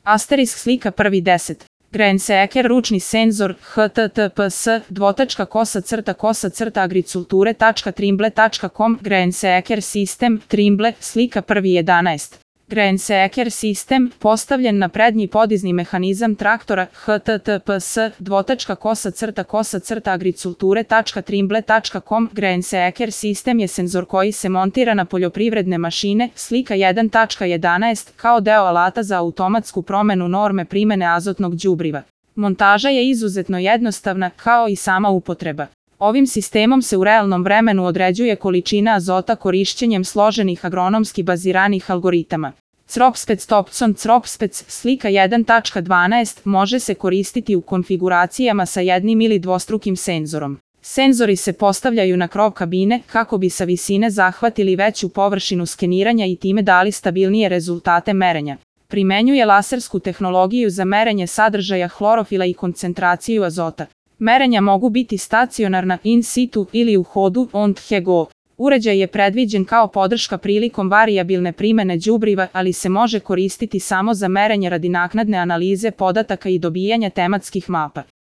Asterisk slika prvi 10. Greenseeker ručni senzor https://agriculture.trimble.com Greenseeker sistem Trimble slika prvi 11. Greenseeker sistem postavljen na prednji podizni mehanizam traktora https://agriculture.trimble.com Greenseeker sistem je senzor koji se montira na poljoprivredne mašine, slika 1.11, kao deo alata za automatsku promenu norme primene azotnog đubriva. Montaža je izuzetno jednostavna, kao i sama upotreba. Ovim sistemom se u realnom vremenu određuje količina azota korišćenjem složenih agronomski baziranih algoritama. Cropspec slika 1.12 može se koristiti u konfiguracijama sa jednim ili dvostrukim senzorom. Senzori se postavljaju na krov kabine kako bi sa visine zahvatili veću površinu skeniranja i time dali stabilnije rezultate merenja. Primenjuje lasersku tehnologiju za merenje sadržaja hlorofila i koncentraciju azota. Merenja mogu biti stacionarna, in situ ili u hodu, on the go. Uređaj je predviđen kao podrška prilikom varijabilne primene đubriva, ali se može koristiti samo za merenje radi naknadne analize podataka i dobijanja tematskih mapa.